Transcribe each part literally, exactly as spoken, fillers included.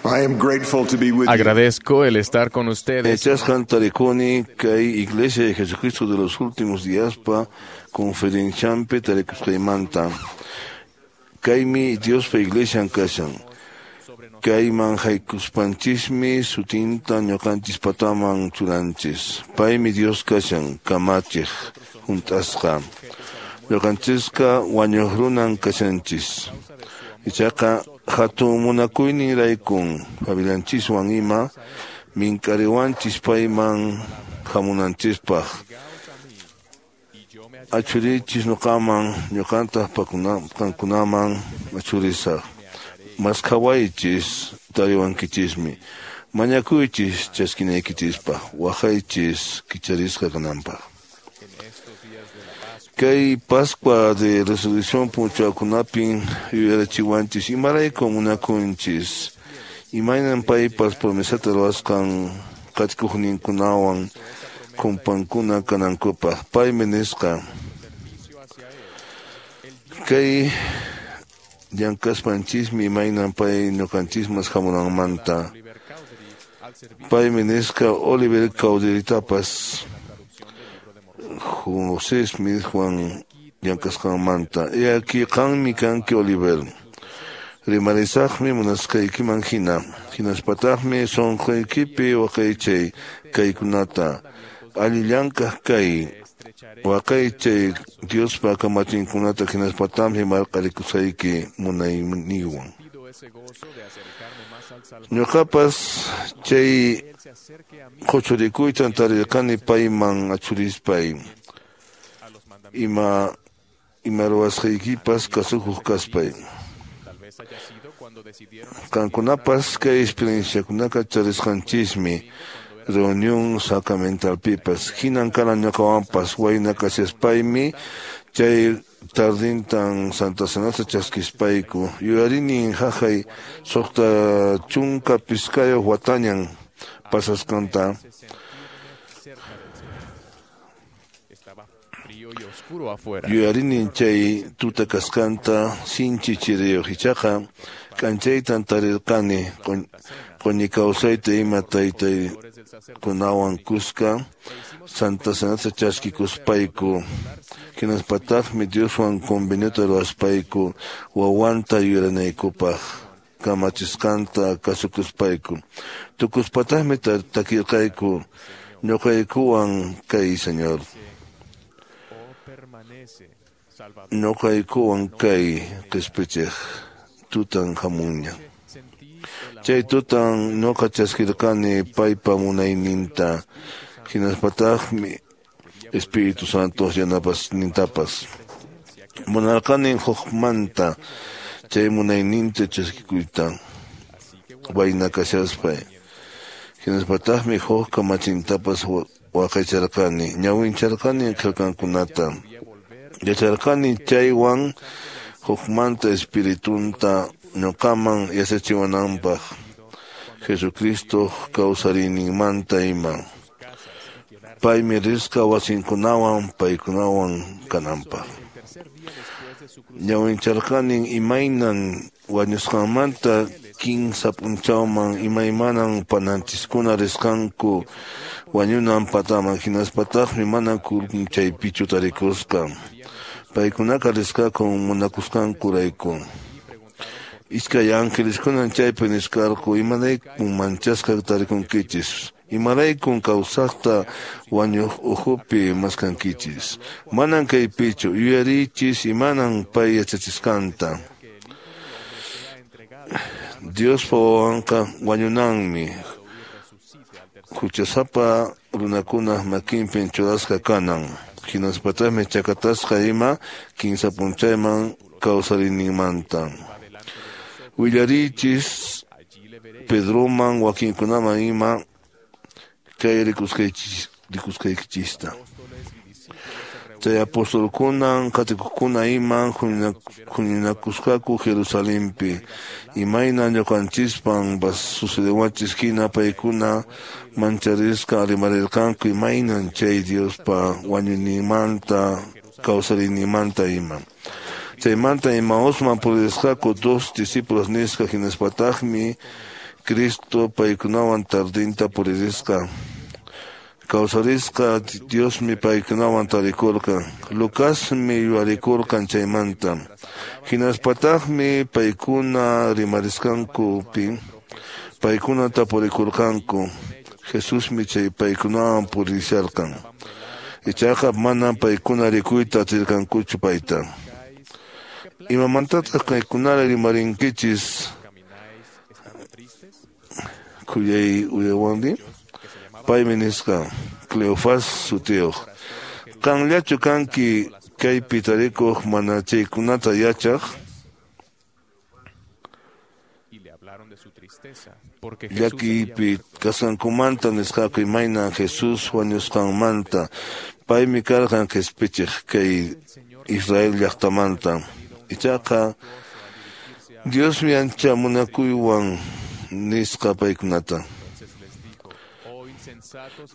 I am grateful to be with you. Agradezco el estar con ustedes. Yachasqan tarikuni kay Iglesia de Jesucristo de los Últimos Días pa conferenciampi tarikusqaymanta. Kaymi Diospa Iglesian kashan. Kayman haykuspanchismi sutinta ñuqanchis pataman churanchis. Paymi Dios kashan kamachiq hunt'asqa. Ñuqanchisqa wañuq runan kashanchis. Ichaqa hatun munakuyninraykun familianchiswan ima mink'ariwanchis payman hamunanchispaq. Achurichis ñuqaman ñuqantaq qankunaman achurisaq. Maskhawaychis tariwankichismi. Mañakuychis chaskinaykichispaq. Waqaychis kicharisqa kananpaq. Kay Pascua de Resurrección p'unchawkunapin yuyarichiwanchis imarayku munakunchis. Imaynan paypas promesata ruwasqan qatikuqninkunawan kumpankuna kanankupaq. Paymi nisqa. Kay llank'aspanchismi imaynan pay ñuqanchismas hamunanmanta. Paymi nisqa Oliver Cowderytapas José Smithwan llank'asqanmanta. He aquí qanmi kanki Oliver. Rimarisaqmi munasqaykiman hina. Hinaspataqmi sunquykipi waqaychay kaykunata. Allillank'aq kay. Waqaychay Diospa kamachinkunata hinaspataqmi marq'arikusayki munayniywan. Ñuqapas chay quchurikuytan tarirqani payman achurispay. Ima ima ruwasqaykipas kasukuq kaspay. Qankunapas kay experienciakunaqa charisqanchismi reunión sacramentalpipas. Hinan karan ñuqawanpas wayna kashaspaymi chay tardintan Santa Cenata chaskispayku. Yuyarinin haqay suqta chunka pichqayuq watañan pasasqanta. Yuyarinin chay tuta kasqanta sinchi chiriyuq ichaqa k'anchaytan tarirqani q'uñi kawsayta ima taytaykunawan kuska Santa Cenata chaskikuspayku. Hinaspataqmi Dioswan conveniota ruwaspayku wawanta yuyarinaykupaq kamachisqanta kasukuspayku. Tukuspataqmi takirqayku ñuqaykuwan kay Señor. Ñuqaykuwan kay qispichiq tutan hamunña. Chay tutan ñuqa chaskirqani paypa munayninta hinaspataqmi Espíritu Santo yanapasnintapas. Munarqani hukmanta chay munayninta chaskikuyta wayna kashaspay. Hinaspataqmi huk kamachintapas waqaycharqani ñawincharqani qillqankunata. Yacharqani chaywan hukmanta espiritunta ñuqaman yachachiwananpaq Jesucristo kawsariyninmanta ima. Paymi risqa wasinkunawan paykunawan kananpaq. Ñawincharqani imaynan wañusqanmanta kinsa p'unchawman imaymanan pananchiskuna risqanku wañunan pataman hinaspataqmi mana kurkun chaypichu tarikusqa. Paykunaqa risqaku munakusqankurayku. Iskay angeliskunan chaypi nisqarqu imaraykun manchasqa tarikunkichis. Imaraykun kawsaqta wañuq ukhupi maskankichis. Manan kaypichu yuyariychis imanan pay yachachisqanta. Diospa wawanqa wañunanmi. Huchasapa runakunaq makinpin churasqa kanan. Hinaspataqmi chakatasqa ima kinsa p'unchayman kawsariyninmanta. Willariychis Pedroman wakinkunaman ima kay rikusqaykichista. Chay apostolkunan qatikuqkuna iman huñunakusqaku Jerusalenpi. Imayna ñuqanchispan sucedewanchis hina paykuna mancharisqa rimarirqanku imaynan chay Diospa wañuyninmanta kawsariyninmanta ima. Chaymanta Emausman purisqaku dos discípulos nisqa hinaspataqmi Cristo paykunawan tardinta puririsqa. Kawsarisqa Diosmi paykunawan tarikurqan. Lucasmi yuyarikurqan chaymanta. Hinaspataqmi paykuna rimarisqankupi paykuna tapurikurqanku. Jesusmi chay paykunawan purisharqan. Ichaqa manam paykuna rikuyta atirqankuchu payta. Imamantataq kaykunara rimarinkichis khuyay uyawanri? Paymi nisqa Cleofas sutiyuq. Qanllachu kanki kaypi tarikuq mana chaykunata yachaq? Llakiypi kasqankumanta nisqaku imaynan Jesús wañusqanmanta. Paymi karqan qispichiq kay Israel llaqtamanta. Ichaqa Diosmi ancha munakuywan nisqa paykunata.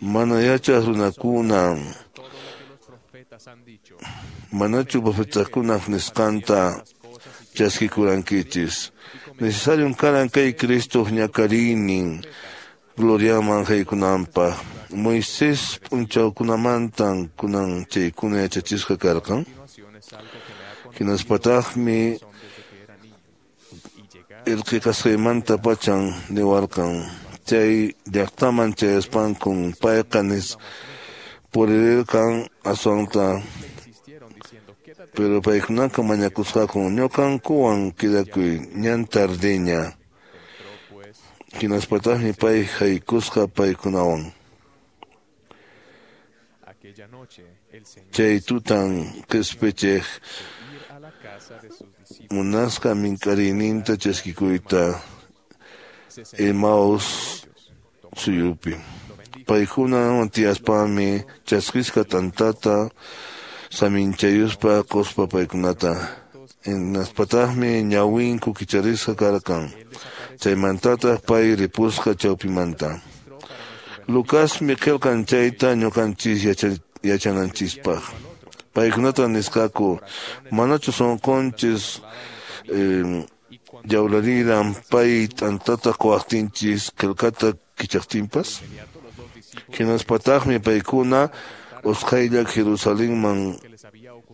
Mana yachaq runakuna manachu profetakunaq nisqanta chaskikurankichis. Necesarion karan kay Cristo ñakariynin gloriaman haykunanpaq. Moisés p'unchawkunamantan kunan chaykuna yachachisqa karqan. Hinaspataqmi irqi kasqaymanta pachan niwarqan. Chay llaqtaman chayaspankun payqa nis puririrqan aswanta. Pero paykunaqa mañakusqaku ñuqankuwan kidakuy ñan tardiña. Hinaspataqmi pay haykusqa paykunawan. Chay tutan qispichiq munasqa mink'ariyninta chaskikuyta Emaús suyupi. Paykunawan tiyaspami chaskisqa t'antata saminchayuspa quspa paykunata. Hinaspataqmi ñawinku kicharisqa karqan. Chaymantataq pay ripusqa chawpimanta. Lucasmi qillqan chayta ñuqanchis yachananchispaq. Paykunata nisqaku manachu sunqunchis yawlariran pay t'antata quwaqtinchis qillqata kichaqtinpas? Hinaspataqmi paykuna usqhaylla Jerusalenman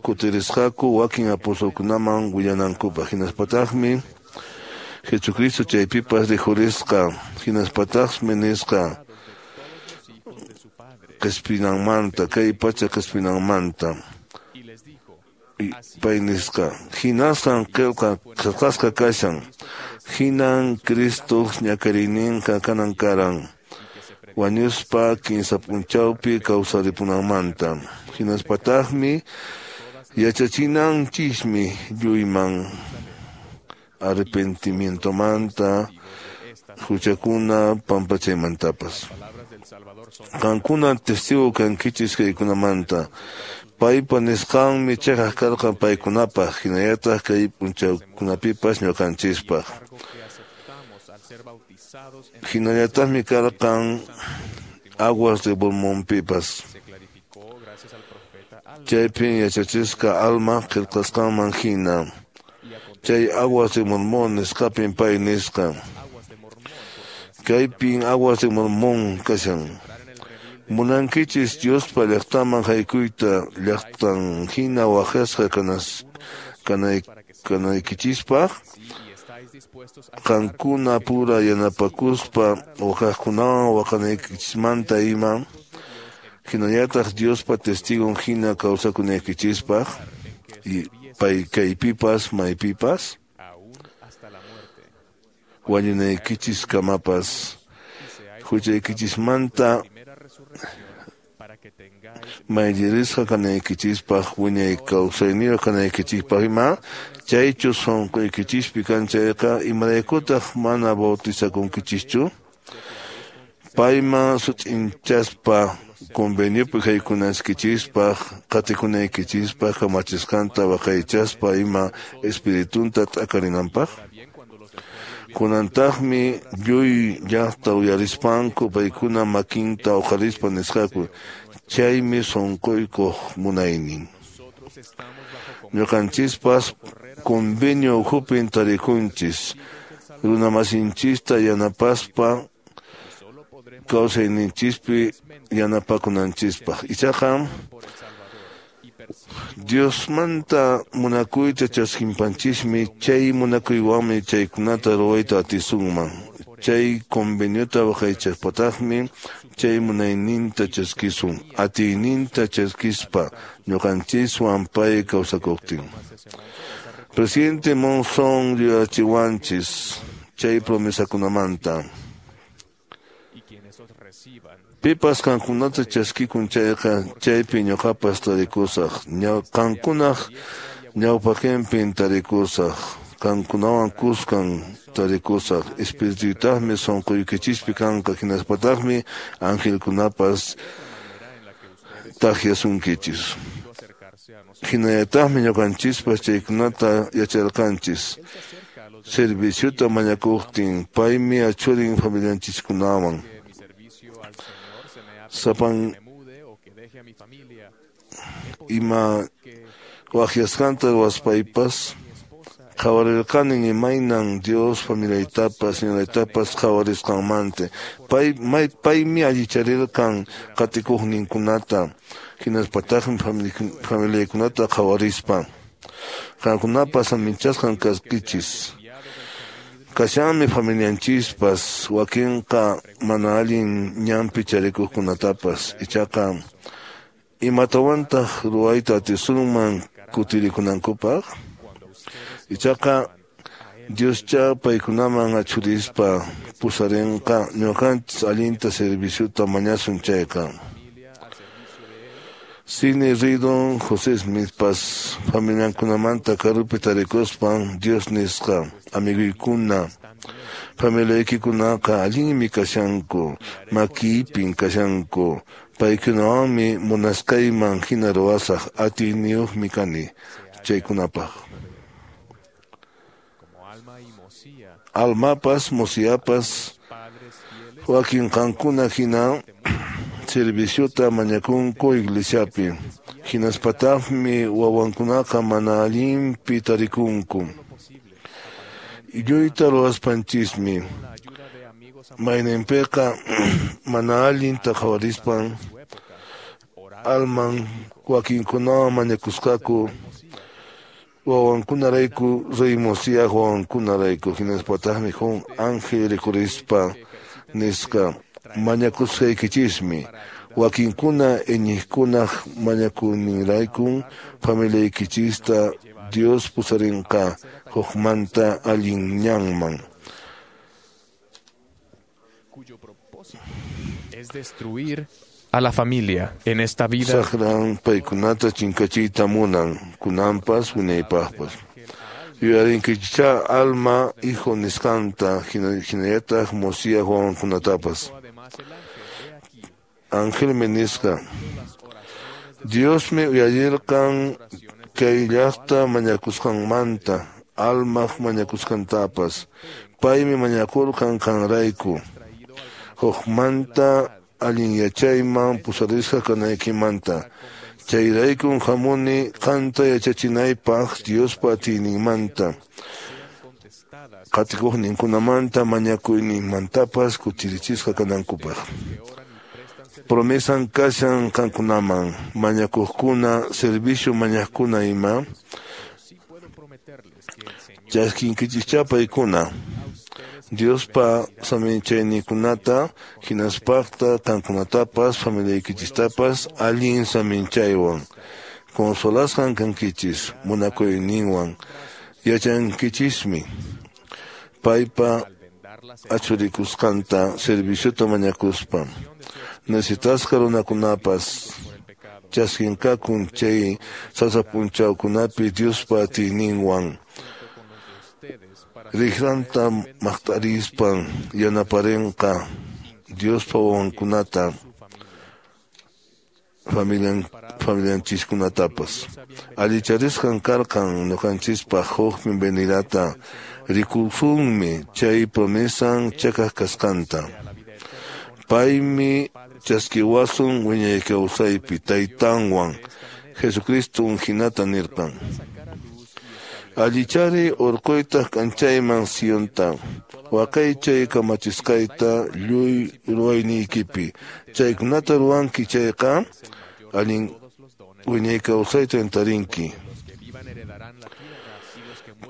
kutirisqaku wakin apostolkunaman willanankupaq. Hinaspataqmi Jesucristo chaypipas rikhurisqa. Hinaspataqmi nisqa qispinanmanta, kay pacha qispinanmanta. Pay nisqa hinasqan qillqa qillqasqa kashan. Hinan Cristoq ñakariyninqa kanan karan. Wañuspa kinsa p'unchawpi kawsaripunanmanta. Hinaspataqmi yachachinanchismi lluyman arrepentimientomanta, huchakuna pampachaymantapas. Qankuna testigo kankichis kaykunamanta. Paypa nisqanmi chiqaq karqan paykunapaq, hinallataq kay p'unchawkunapipas ñuqanchispaq. Hinallataqmi karqan aguas de Mormonpipas. Chaypin yachachisqa alma qillqasqanman hina. Chay aguas de Mormón nisqapin pay nisqa. Kaypin aguas de Mormón kashan. Munankichis Diospa llaqtaman haykuyta llaqtan hina waqasqa kanas kanay kanaykichispaq. Qankuna pura yanapakuspa waqaqkunawan waqanaykichismanta ima. Hinallataq Diospa testigon hina kawsakunaykichispaq y pay kaypipas maypipas wañunaykichiskamapas huchaykichismanta mayllarisqa kanaykichispaq wiñay kawsayniyuq kanaykichispaq ima chaychu sunquykichispi kan chayqa imaraykutaq mana bautizakunkichischu? Payman sut'inchaspa conveniopi haykunaskichispaq qatikunaykichispaq kamachisqanta waqaychaspa ima espiritunta t'akarinanpaq. Kunantaqmi lluy llaqta uyarispanku paykuna makinta uqarispa nisqaku chaymi sunquykuq munaynin. Ñuqanchispas convenio ukhupin tarikunchis Runamasinchista yanapaspa kawsayninchispi yanapakunanchispaq. Ichaqa Diosmanta munakuyta chaskinpanchismi, chay munakuywanmi chaykunata ruwayta atisunman. Chay conveniota waqaychaspataqmi chay munayninta chaskisun, atiyninta chaskispa ñuqanchiswan pay kawsakuqtin. Presidente Monson yuyachiwanchis chay promesakunamanta. Pipas qankunata chaskikun chayqa chaypi ñuqapas tarikusaq, qankunaq ñawpaqinpin tarikusaq, qankunawan kuskan tarikusaq. Espirituytaqmi sunquykichispi kanqa, hinaspataqmi angelkunapas taqyasunkichis. Hinallataqmi ñuqanchispas chaykunata yacharqanchis. Serviciota mañakuqtin paymi achurin familianchiskunawan. Sapan ima waqyasqanta ruwaspaypas qhawarirqanin imaynan Dios familiaytapas señoraytapas qhawarisqanmanta. Pay may paymi allicharirqan qatikuqninkunata, hinaspataqmi familiaykunata qhawarispa. Qankunapas aminchasqan kasqichis. Kashanmi familianchispas wakinqa mana allin ñanpi charikuqkunatapas. Ichaqa imatawantaq ruwayta atisunman kutirikunankupaq? Ichaqa Dioscha paykunaman achurispa pusarinqa ñuqanchis allinta serviciota mañasun chayqa. Sidney Rigdon José Smithpas familiankunamanta karupi tarikuspan Dios nisqa: amiguykuna, familiaykikunaqa allinmi kashanku, makiypin kashanku, paykunawanmi munasqayman hina ruwasaq, atiyniyuqmi kani chaykunapaq. Almapas, Mosiapas, wakin qankuna hina serviciota mañakunku iglesiapi, hinaspataqmi wawankunaqa mana allinpi tarikunku. Lluyta ruwaspanchismi mayninpiqa mana allinta qhawarispan alman wakinkunawan mañakusqaku wawankunarayku, rey Mosiah wawankunarayku. Hinaspataqmi huk ángel rikurispa nisqa: mañakusqaykichismi, wakinkuna iñiqkunaq mañakuyninraykun familiaykichista Dios pusarinqa hukmanta allin ñanman. Es destruir a la familia en esta vida. Saqran paykunata chinkachiyta munan, kunanpas wiñaypaqpas. Yuyarinkichá alma hijo nisqanta, hinallataq Mosiah wawankunatapas. Angelmi nisqa: Diosmi uyarirqan kay llaqta mañakusqanmanta, almaq mañakusqantapas. Paymi mañakurqan qanrayku, hukmanta allin yachayman pusarisqa kanaykimanta. Chayraykun hamuni qanta yachachinaypaq Diospa atiyninmanta, qatikuqninkunamanta mañakuyninmantapas kutirichisqa kanankupaq. Promesan kashan qankunaman, mañakuqkuna, servicio mañaqkuna ima, chaskinkichischá paykuna Diospa saminchayninkunata, hinaspaqta qankunatapas familiaykichistapas allin saminchaywan. Consolasqan kankichis munakuyninwan, yachankichismi paypa achurikusqanta serviciota mañakuspa. Necesitasqa runakunapas chaskinqakun chay sasa p'unchawkunapi Diospa atiyninwan. Riqranta maqtarispan yanaparinqa Diospa wawankunata, familian familianchiskunatapas. Allicharisqan karqan ñuqanchispaq huk bienvenidata, rikusunmi chay promesan chakaq kasqanta. Paymi chaskiwasun wiñay kawsaypi taytanwan Jesucristo hinata nirqan. Allichari urquytaq k'anchayman Sionta, waqaychay kamachisqayta lluy ruwayniykipi. Chaykunata ruwanki chayqa allin wiñay kawsayta tarinki.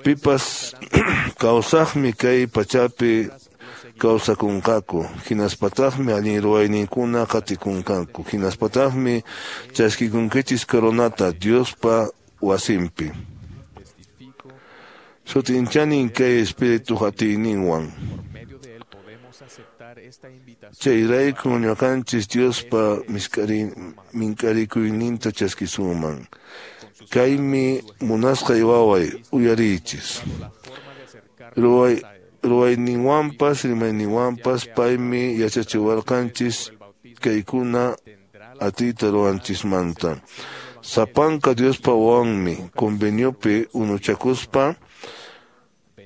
Pipas kawsaqmi kay pachapi kawsakunqaku, hinaspataqmi allin ruwayninkuna qatikunqaku, hinaspataqmi chaskikunkichis coronata Diospa wasinpi. Sutinchanin kay espíritu atiyninwan. Chayrayku ñuqanchis Diospa minkarikuyninta chaskisunman. Kaymi munasqay waway, uyariychis. Ruway ruwayninwanpas rimayninwanpas paymi yachachiwarqanchis kaykuna atiyta ruwanchismanta. Sapanka Diospa wawanmi conveniopi unuchakuspa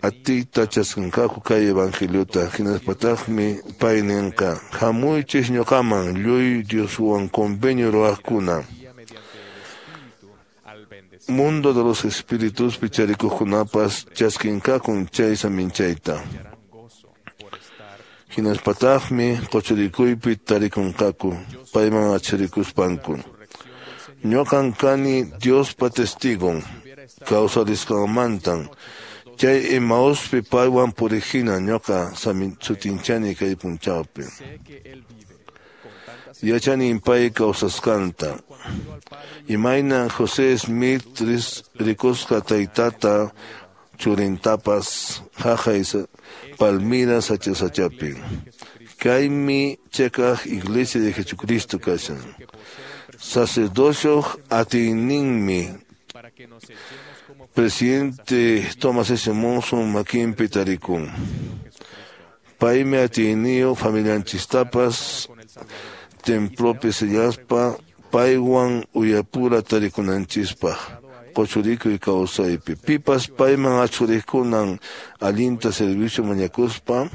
atiyta chaskinqaku kay evangeliota, hinaspataqmi pay ninqa: hamuychis ñuqaman lluy Dioswan convenio ruwaqkuna. Mundo de los espíritus picharikuqkunapas chaskinqakun chay saminchayta. Hinaspataqmi quchurikuypi tarikunqaku payman achirikuspanku. Ñuqan kani Diospa testigon kawsarisqanmantan. Chay Emauspi paywan puriqhina ñuqa sutinchani kay punchawpi. Yachanin pay kawsasqanta. Imaynan José Smith rikusqa taytata churintapas haqay Palmira sacha sachapi. Kaymi chiqaq Iglesia de Jesucristo kashan. Sacerdocio atiyninmi presidente Thomas S. Monson makinpi tarikun. Paymi atiyniyuq familianchistapas templopi sellaspa paywan uyapura tarikunanchispaq quchurikuy kawsaypi. Pipas payman achuriqkunan allinta servicio mañakuspa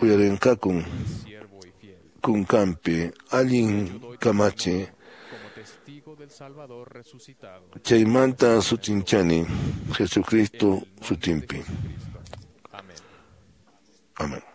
uyarinqakun kunkanpi allin kamachi. Chaymanta sutinchani Jesucristo sutinpi. Amén.